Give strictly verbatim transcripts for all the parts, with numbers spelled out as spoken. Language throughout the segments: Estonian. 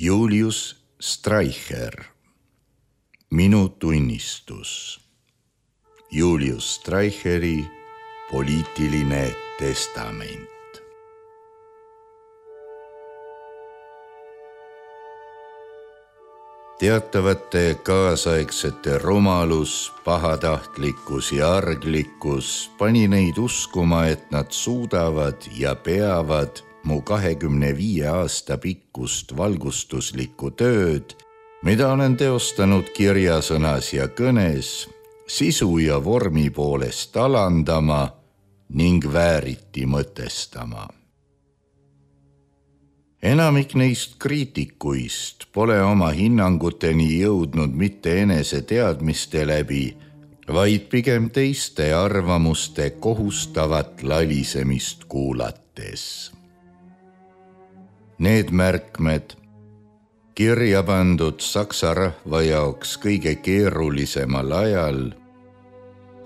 Julius Streicher. Minu tunnistus. Julius Streicheri poliitiline testament. Teatavate kaasaegsete rumalus, pahatahtlikkus ja arglikkus pani neid uskuma, et nad suudavad ja peavad mu kahekümne viie aasta pikkust valgustuslikku tööd, mida olen teostanud kirjasõnas ja kõnes, sisu ja vormi poolest alandama ning vääriti mõtestama. Enamik neist kriitikuist pole oma hinnanguteni jõudnud mitte enese teadmiste läbi, vaid pigem teiste arvamuste kohustavat lalisemist kuulates. Need märkmed, kirja pandud saksa rahva jaoks kõige keerulisemal ajal,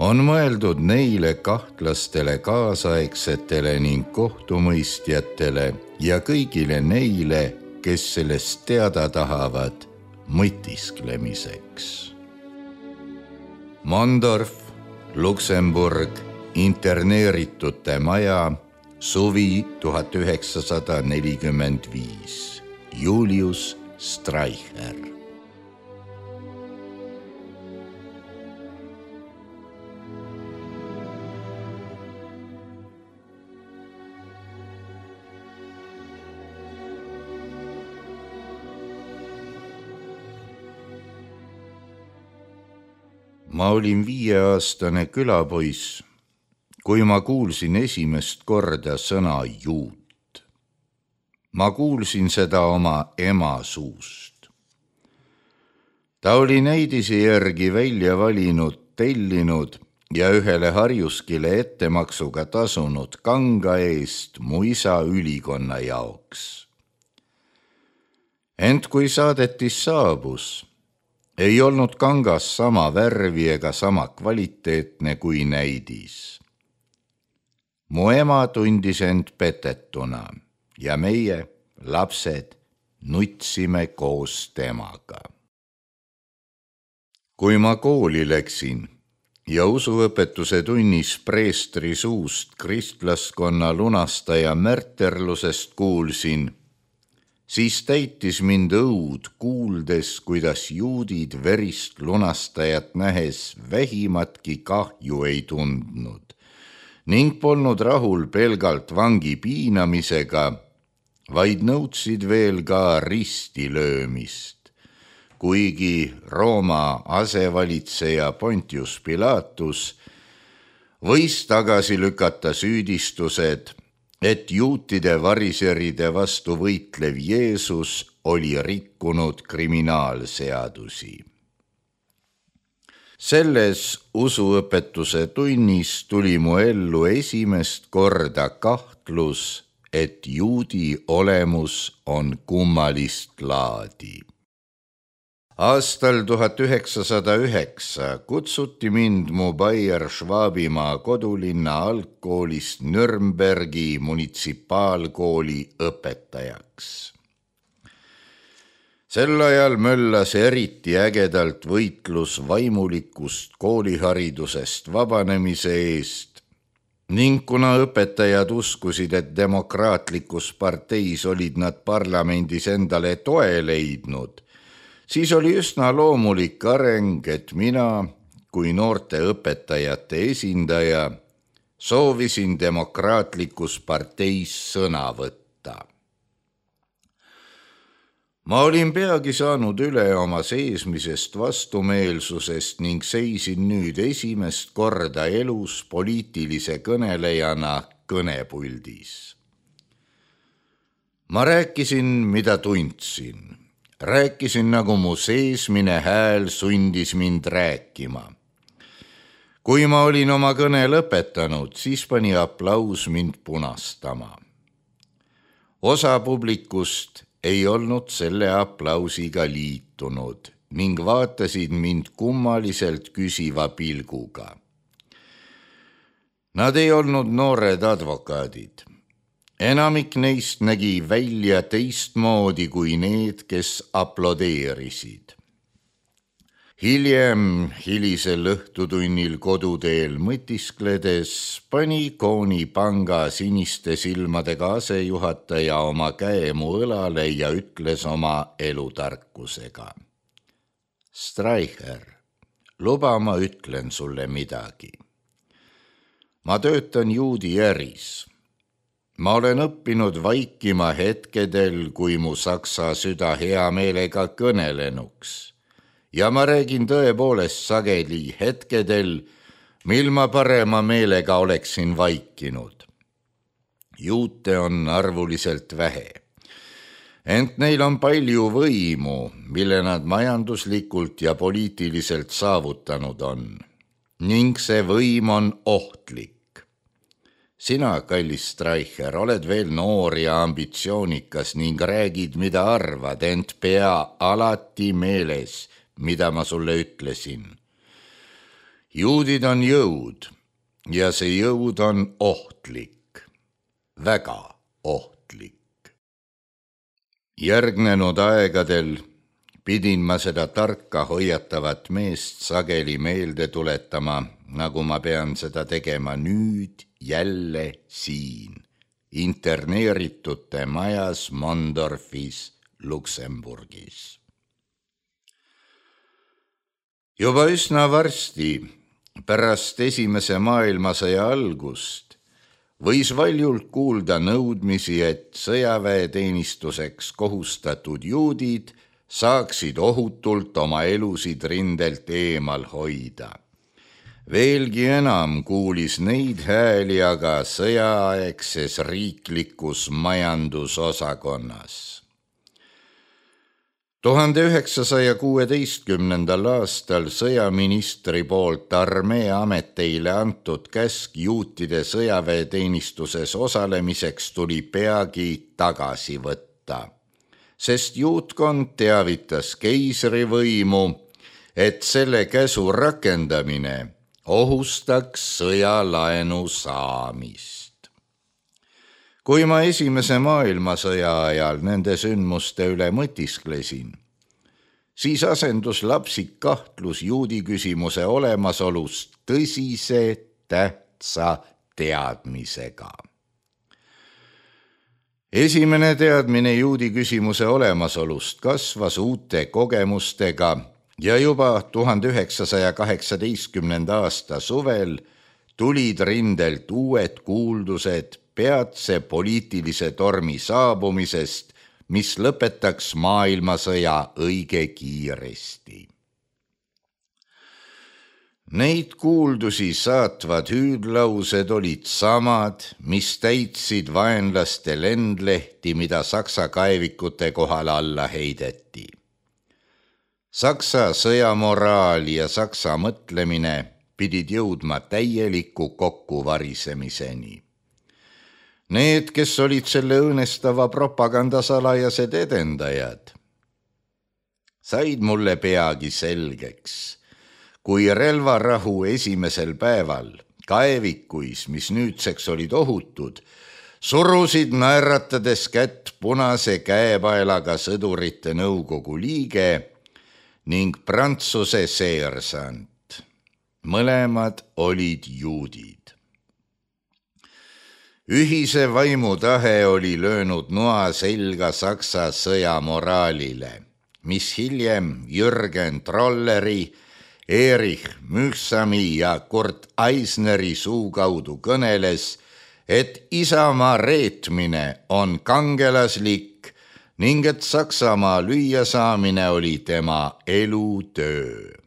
on mõeldud neile kahtlastele kaasaegsetele ning kohtumõistjatele ja kõigile neile, kes sellest teada tahavad mõtisklemiseks. Mondorf, Luksemburg, interneeritute maja, suvi tuhat üheksasada nelikümmend viis. Julius Streicher. Ma olin viieaastane külapoiss, kui ma kuulsin esimest korda sõna juut. Ma kuulsin seda oma ema suust. Ta oli neidisi järgi välja valinud, tellinud ja ühele harjuskile ettemaksuga tasunud kanga eest mu isa ülikonna jaoks. Ent kui saadetis saabus, ei olnud kangas sama värvi ega sama kvaliteetne kui näidis. Mu ema tundis end petetuna ja meie, lapsed, nutsime koos temaga. Kui ma kooli läksin ja usuõpetuse tunnis preestri suust kristlaskonna lunastaja märterlusest kuulsin, siis täitis mind õud kuuldes, kuidas juudid verist lunastajat nähes vähimatki kahju ei tundnud ning polnud rahul pelgalt vangi piinamisega, vaid nõudsid veel ka risti löömist, kuigi Rooma asevalitseja Pontius Pilatus võis tagasi lükata süüdistused, et juutide variseride vastu võitlev Jeesus oli rikkunud kriminaalseadusi. Selles usuõpetuse tunnis tuli mu ellu esimest korda kahtlus, et juudi olemus on kummalist laadi. Aastal tuhat üheksasada üheksa kutsuti mind mu Bayer-Schwabimaa kodulinna algkoolist Nürnbergi munitsipaalkooli õpetajaks. Sel ajal möllas eriti ägedalt võitlus vaimulikust kooliharidusest vabanemise eest ning kuna õpetajad uskusid, et demokraatlikus parteis olid nad parlamendis endale toe leidnud, siis oli üsna loomulik areng, et mina kui noorte õpetajate esindaja soovisin demokraatlikus parteis sõna võtta. Ma olin peagi saanud üle oma seesmisest vastumeelsusest ning seisin nüüd esimest korda elus poliitilise kõnelejana kõnepuldis. Ma rääkisin, mida tundsin. Rääkisin, nagu mu seesmine hääl sundis mind rääkima. Kui ma olin oma kõne lõpetanud, siis pani aplaus mind punastama. Osa publikust ei olnud selle aplausiga liitunud ning vaatasid mind kummaliselt küsiva pilguga. Nad ei olnud noored advokaadid. enamik neist nägi välja teistmoodi kui need, kes aplodeerisid. Hiljem, hilisel õhtutunnil koduteel mõtiskledes, pani Koonipanga siniste silmadega asejuhataja oma käe mu õlale ja ütles oma elutarkusega. Streicher, luba ma ütlen sulle midagi. Ma töötan juudi äris. Ma olen õppinud vaikima hetkedel, kui mu saksa süda hea meelega kõnelenuks. Ja ma räägin tõepoolest sageli hetkedel, mil ma parema meelega oleksin vaikinud. Juute on arvuliselt vähe. Ent neil on palju võimu, mille nad majanduslikult ja poliitiliselt saavutanud on. Ning see võim on ohtlik. Sina, kallis Streicher, oled veel noor ja ambitsioonikas ning räägid, mida arvad, ent pea alati meeles, mida ma sulle ütlesin. Juudid on jõud ja see jõud on ohtlik, väga ohtlik. Järgnenud aegadel pidin ma seda tarka hoiatavat meest sageli meelde tuletama, nagu ma pean seda tegema nüüd jälle siin, interneeritute majas Mondorfis, Luksemburgis. Juba üsna varsti, pärast esimese maailmasõja algust, võis valjult kuulda nõudmisi, et sõjaväeteenistuseks kohustatud juudid saaksid ohutult oma elusid rindelt eemal hoida. Veelgi enam kuulis neid hääli aga sõjaaegses riiklikus majandusosakonnas. tuhande üheksasaja kuueteistkümnendal aastal sõjaministri poolt armee ameteile antud käsk juutide sõjaväeteenistuses osalemiseks tuli peagi tagasi võtta, sest juutkond teavitas keisrivõimu, et selle käsu rakendamine ohustaks sõjalaenu saamist. Kui ma esimese maailmasõja ajal nende sündmuste üle mõtisklesin, siis asendus lapsik kahtlus juudi küsimuse olemasolust tõsise tähtsa teadmisega. Esimene teadmine juudi küsimuse olemasolust kasvas uute kogemustega ja juba tuhande üheksasaja kaheksateistkümnenda aasta suvel tulid rindelt uued kuuldused peatse poliitilise tormi saabumisest, mis lõpetaks maailmasõja õige kiiresti. Neid kuuldusi saatvad hüüdlaused olid samad, mis täitsid vaenlaste lendlehti, mida Saksa kaevikute kohal alla heideti. Saksa sõjamoraal ja Saksa mõtlemine pidid jõudma täieliku kokkuvarisemiseni. Need, kes olid selle õõnestava propaganda salajased edendajad, said mulle peagi selgeks, kui relvarahu esimesel päeval kaevikuis, mis nüüdseks olid ohutud, surusid naeratades kätt punase käepaelaga sõdurite nõukogu liige ning Prantsuse seersant. Mõlemad olid juudid. Ühise vaimutahe oli löönud noa selga Saksa sõjamoraalile, mis hiljem Jürgen Trolleri, Erich Mühsami ja Kurt Eisneri suu kaudu kõneles, et isamaa reetmine on kangelaslik ning et Saksamaa lüüa saamine oli tema elutöö.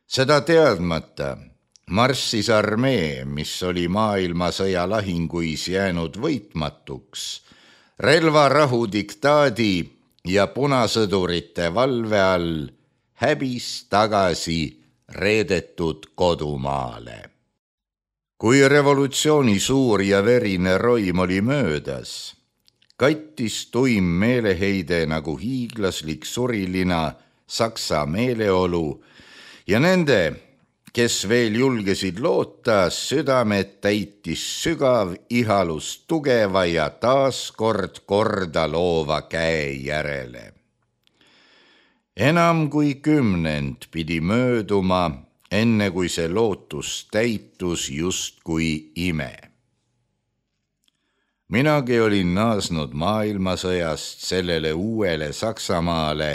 Seda teadmata marssis armee, mis oli maailmasõja lahinguis jäänud võitmatuks, relvarahu diktaadi ja punasõdurite valve all häbis tagasi reedetud kodumaale. Kui revolutsiooni suur ja verine roim oli möödas, kattis tuim meeleheide nagu hiiglaslik surilina Saksa meeleolu ja nende kes veel julgesid loota, südamed täitis sügav ihalus tugeva ja taaskord korda loova käe järele. Enam kui kümnend pidi mööduma, enne kui see lootus täitus justkui ime. Minagi olin naasnud maailmasõjast sellele uuele Saksamaale,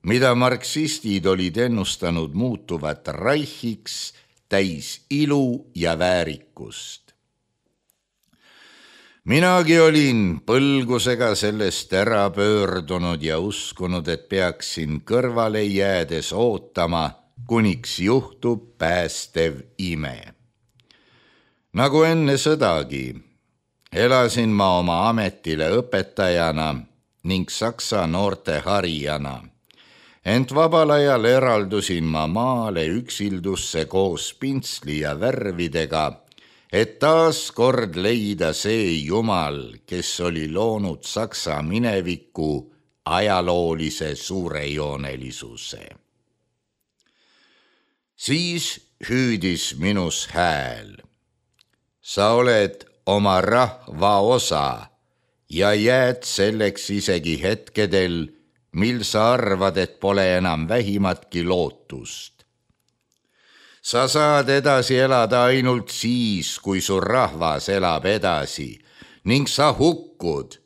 mida marksistid olid ennustanud muutuvat reichiks täis ilu ja väärikust. Minagi olin põlgusega sellest ära pöördunud ja uskunud, et peaksin kõrvale jäädes ootama, kuniks juhtub päästev ime. Nagu enne sõdagi, elasin ma oma ametile õpetajana ning saksa noorte harijana, ent vabal ajal eraldusin ma maale üksildusse koos pintsli ja värvidega, et taas kord leida see Jumal, kes oli loonud Saksa mineviku ajaloolise suurejoonelisuse. Siis hüüdis minus hääl. Sa oled oma rahva osa ja jääd selleks isegi hetkedel, mil sa arvad, et pole enam vähimatki lootust. Sa saad edasi elada ainult siis, kui su rahvas elab edasi ning sa hukkud,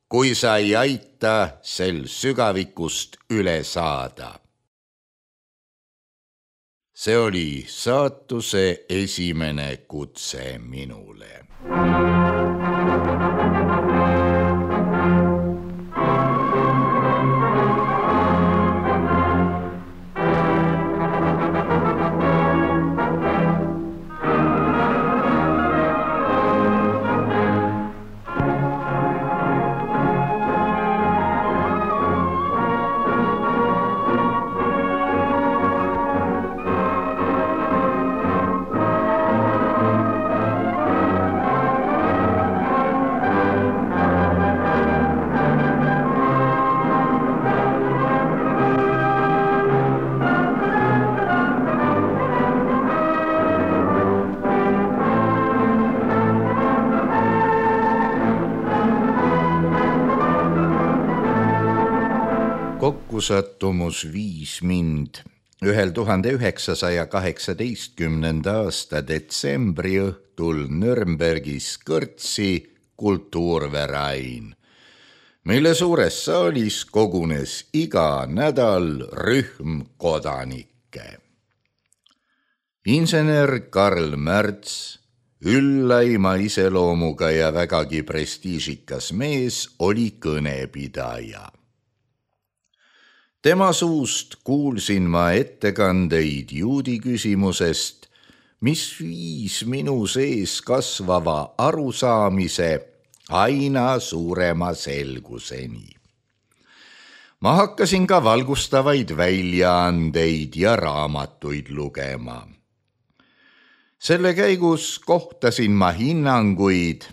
kui sa ei aita sel sügavikust üle saada. See oli saatuse esimene kutse minule. Kokkusattumus viis mind ühel tuhande üheksasaja kaheksateistkümnenda aasta detsembri õhtul Nürnbergis kõrtsi Kultuurverein, mille suures saalis kogunes iga nädal rühm kodanikke. Insener Karl Märts, üllaima iseloomuga ja vägagi prestiižikas mees, oli kõnepidaja. Tema suust kuulsin ma ettekandeid juudi küsimusest, mis viis minu sees kasvava arusaamise aina suurema selguseni. Ma hakkasin ka valgustavaid väljaandeid ja raamatuid lugema. Selle käigus kohtasin ma hinnanguid,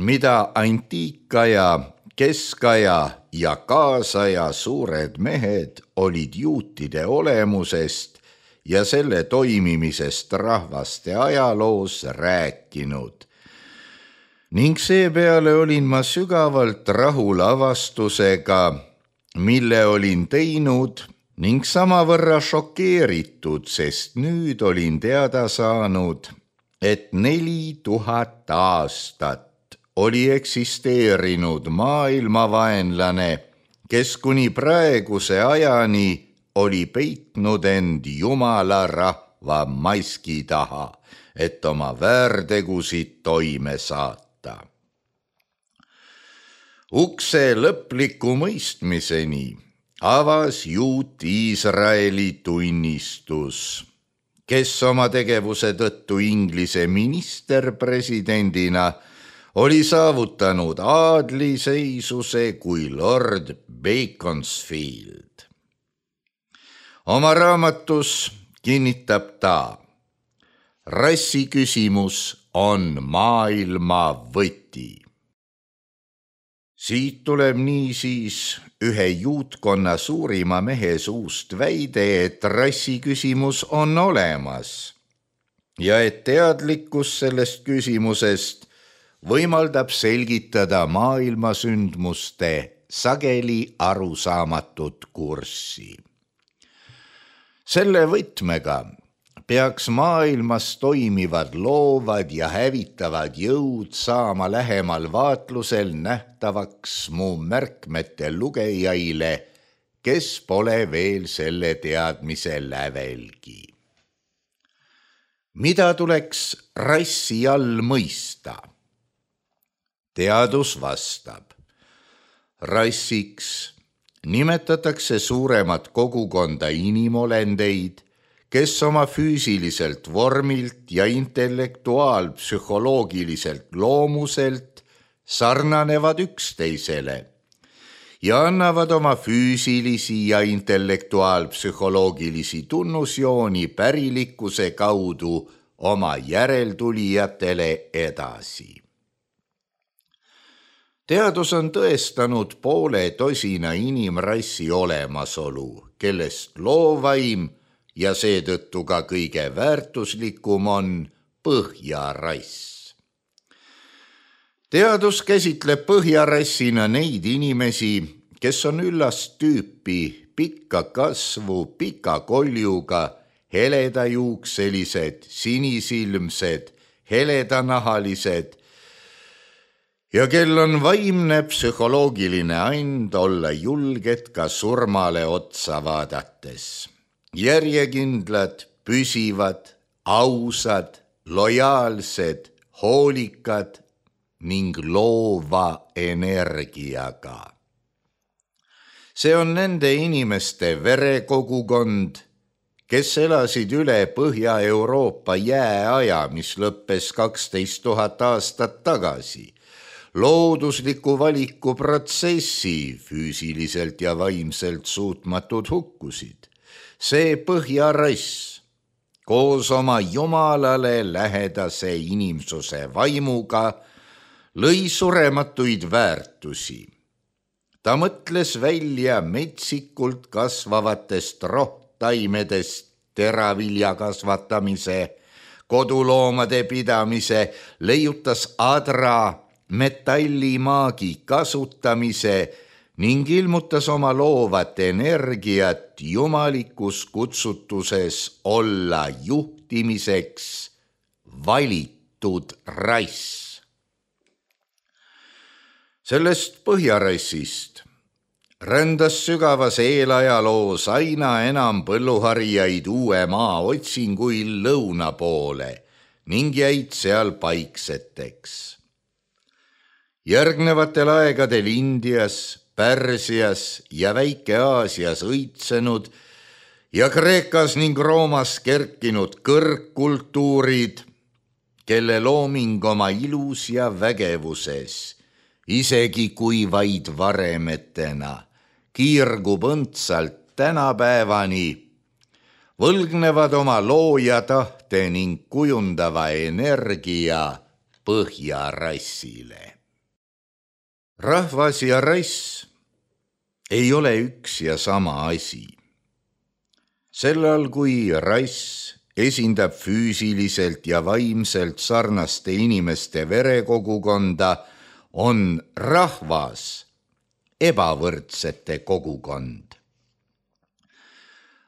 mida antiikaja, keskaja ja kaasaja suured mehed olid juutide olemusest ja selle toimimisest rahvaste ajaloos rääkinud. Ning seepeale olin ma sügavalt rahul avastusega, mille olin teinud ning samavõrra šokeeritud, sest nüüd olin teada saanud, et neli tuhat aastat oli eksisteerinud maailmavaenlane, kes kuni praeguse ajani oli peitnud end Jumala rahva maski taha, et oma väärtegusid toime saata. Ukse lõpliku mõistmiseni avas juut Iisraeli tunnistus, kes oma tegevuse tõttu Inglise ministerpresidendina oli saavutanud aadliseisuse kui Lord Beaconsfield. Oma raamatus kinnitab ta, rassiküsimus on maailma võti. Siit tuleb niisiis ühe juutkonna suurima mehe suust väide, et rassiküsimus on olemas ja et teadlikkus sellest küsimusest võimaldab selgitada maailmasündmuste sageli arusaamatut kurssi. Selle võtmega peaks maailmas toimivad loovad ja hävitavad jõud saama lähemal vaatlusel nähtavaks mu märkmete lugejaile, kes pole veel selle teadmise lävelgi. Mida tuleks rassi all mõista? Teadus vastab. Rassiks nimetatakse suuremat kogukonda inimolendeid, kes oma füüsiliselt vormilt ja intellektuaalpsühholoogiliselt loomuselt sarnanevad üksteisele ja annavad oma füüsilisi ja intellektuaalpsühholoogilisi tunnusjooni pärilikkuse kaudu oma järeltulijatele edasi. Teadus on tõestanud poole tosina inimrassi olemasolu, kellest loovaim ja seetõttu ka kõige väärtuslikum on põhjarass. Teadus käsitleb põhjarassina neid inimesi, kes on üllast tüüpi, pikka kasvu, pika koljuga, heledajuukselised, sinisilmsed, heledanahalised ja kel on vaimne psühholoogiline and olla julged ka surmale otsa vaadates. Järjekindlad, püsivad, ausad, lojaalsed, hoolikad ning loova energiaga. See on nende inimeste verekogukond, kes elasid üle Põhja-Euroopa jääaja, mis lõppes kaksteist tuhat aastat tagasi. Loodusliku valiku protsessi füüsiliselt ja vaimselt suutmatud hukkusid. See põhjarass koos oma jumalale lähedase inimsuse vaimuga lõi surematuid väärtusi. Ta mõtles välja metsikult kasvavatest rohtaimedest teravilja kasvatamise, koduloomade pidamise, leiutas adra metallimaagi kasutamise ning ilmutas oma loovat energiat jumalikus kutsutuses olla juhtimiseks valitud rass. Sellest põhjarassist rändas sügavas eelajaloos aina enam põlluharijaid uue maa otsinguil lõuna poole ning jäid seal paikseteks. Järgnevatel aegadel Indias, Pärsias ja Väike-Aasias õitsenud ja Kreekas ning Roomas kerkinud kõrgkultuurid, kelle looming oma ilus ja vägevuses, isegi kui vaid varemetena, kiirgub õndsalt tänapäevani, võlgnevad oma looja tahte ning kujundava energia põhjarassile. Rahvas ja rass ei ole üks ja sama asi. Sellal, kui rass esindab füüsiliselt ja vaimselt sarnaste inimeste verekogukonda, on rahvas ebavõrdsete kogukond.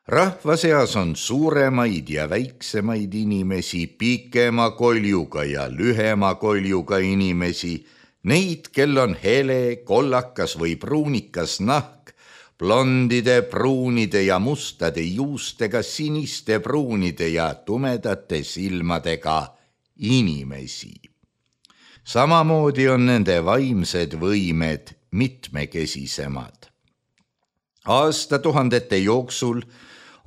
Rahva seas on suuremaid ja väiksemaid inimesi, pikema koljuga ja lühema koljuga inimesi, neid, kel on hele, kollakas või pruunikas nahk, blondide, pruunide ja mustade juustega, siniste, pruunide ja tumedate silmadega inimesi. Samamoodi on nende vaimsed võimed mitmekesisemad. Aastatuhandete jooksul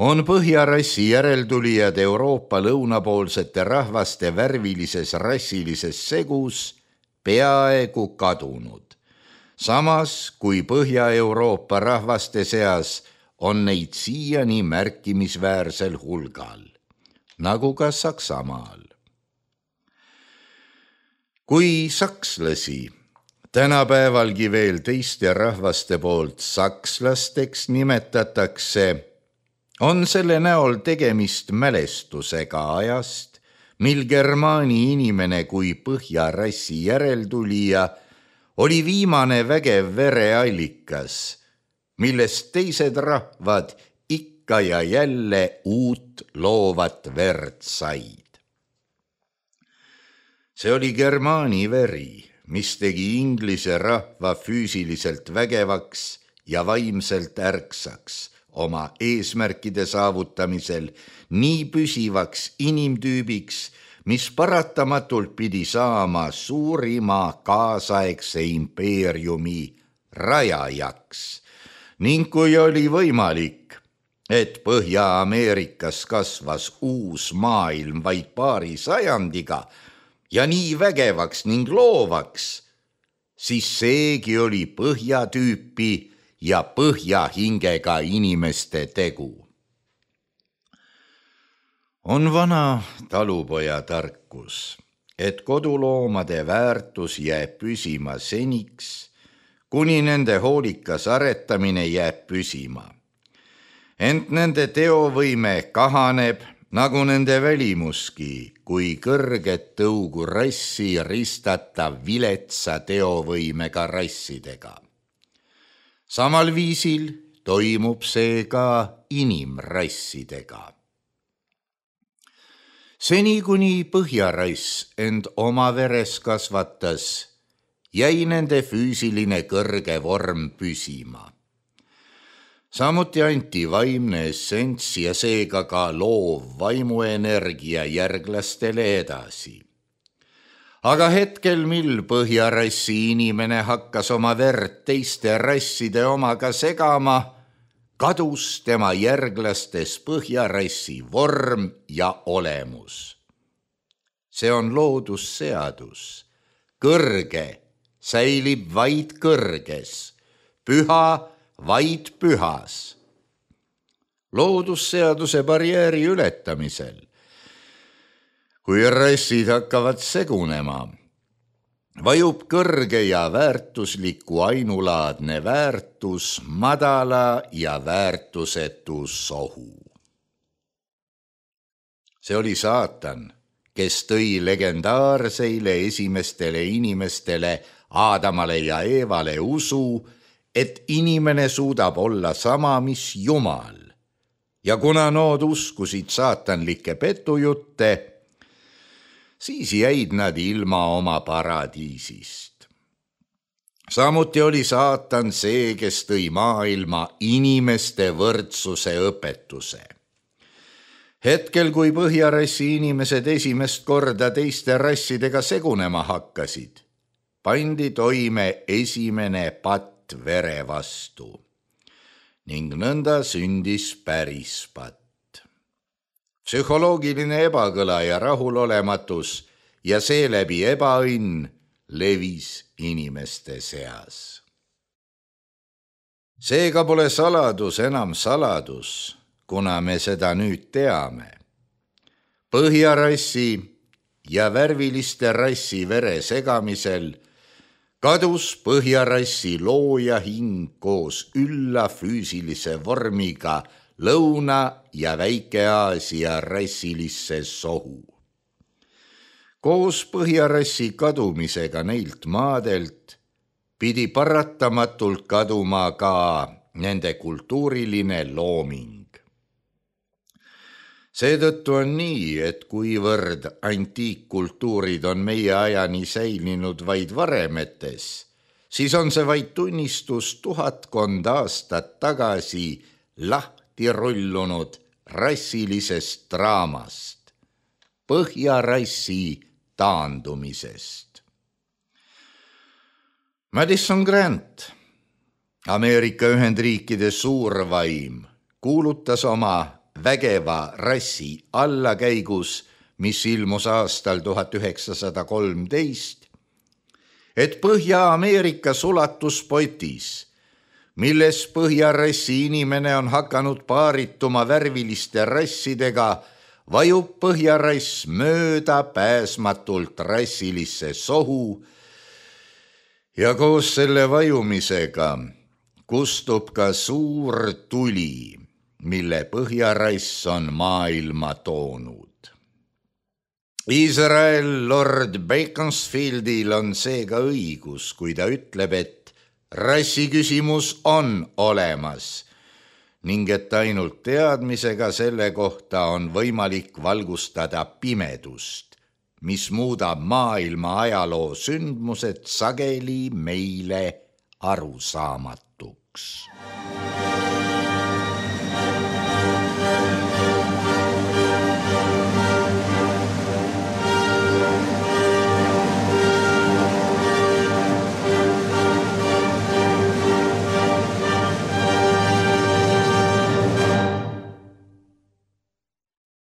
on põhjarassi järeltulijad Euroopa lõunapoolsete rahvaste värvilises rassilises segus peaaegu kadunud. Samas, kui Põhja-Euroopa rahvaste seas on neid siiani märkimisväärsel hulgal, nagu ka Saksamaal. Kui sakslasi tänapäevalgi veel teiste rahvaste poolt sakslasteks nimetatakse, on selle näol tegemist mälestusega ajast, mil germaani inimene kui põhjarassi järeltulija oli viimane vägev vereallikas, millest teised rahvad ikka ja jälle uut loovat verd said. See oli germaani veri, mis tegi inglise rahva füüsiliselt vägevaks ja vaimselt ärksaks oma eesmärkide saavutamisel nii püsivaks inimtüübiks, mis paratamatult pidi saama suurima kaasaegse impeeriumi rajajaks ning kui oli võimalik, et Põhja-Ameerikas kasvas uus maailm vaid paari sajandiga ja nii vägevaks ning loovaks, siis seegi oli põhjatüüpi ja põhjahingega inimeste tegu. On vana talupoja tarkus, et koduloomade väärtus jääb püsima seniks, kuni nende hoolikas aretamine jääb püsima. Ent nende teovõime kahaneb, nagu nende välimuski, kui kõrget tõugu rassi ristata viletsa teovõimega rassidega. Samal viisil toimub see ka inimrassidega. Seni kuni põhjarass end oma veres kasvatas, jäi nende füüsiline kõrge vorm püsima. Samuti anti vaimne essents ja seega ka loov vaimuenergia järglastele edasi. Aga hetkel, mil põhjarassi inimene hakkas oma verd teiste rasside omaga segama, kadus tema järglastes põhjarassi vorm ja olemus. See on loodusseadus. Kõrge säilib vaid kõrges, püha vaid pühas. Loodusseaduse barjääri ületamisel, kui rassid hakkavad segunema, vajub kõrge ja väärtusliku ainulaadne väärtus madala ja väärtusetu sohu. See oli saatan, kes tõi legendaarseile esimestele inimestele Aadamale ja Eevale usu, et inimene suudab olla sama, mis Jumal. Ja kuna nood uskusid saatanlikke petujutte, siis jäid nad ilma oma paradiisist. Samuti oli saatan see, kes tõi maailma inimeste võrdsuse õpetuse. Hetkel, kui põhjarassi inimesed esimest korda teiste rassidega segunema hakkasid, pandi toime esimene patt vere vastu ning nõnda sündis päris patt. Psühholoogiline ebakõla ja rahulolematus ja seeläbi ebaõnn levis inimeste seas. Seega pole saladus enam saladus, kuna me seda nüüd teame. Põhjarassi ja värviliste rassi vere segamisel kadus põhjarassi looja hing koos ülla füüsilise vormiga Lõuna- ja Väike-Aasia rassilisse sohu. Koos põhjarassi kadumisega neilt maadelt pidi paratamatult kaduma ka nende kultuuriline looming. Seetõttu on nii, et kuivõrd antiikkultuurid on meie ajani säilinud vaid varemetes, siis on see vaid tunnistus tuhatkond aastat tagasi lahti rullunud rassilisest draamast, põhjarassi taandumisest. Madison Grant, Ameerika Ühendriikide suurvaim, kuulutas oma vägeva rassi allakäigus, mis ilmus aastal tuhat üheksasada kolmteist, et Põhja-Ameerika sulatuspotis, milles põhjarassi inimene on hakanud paarituma värviliste rassidega, vajub põhjarass mööda pääsmatult rassilisse sohu ja koos selle vajumisega kustub ka suur tuli, mille põhjarass on maailma toonud. Iisrael lord Beaconsfieldil on seega õigus, kui ta ütleb, et rassiküsimus on olemas ning et ainult teadmisega selle kohta on võimalik valgustada pimedust, mis muudab maailma ajaloo sündmused sageli meile arusaamatuks.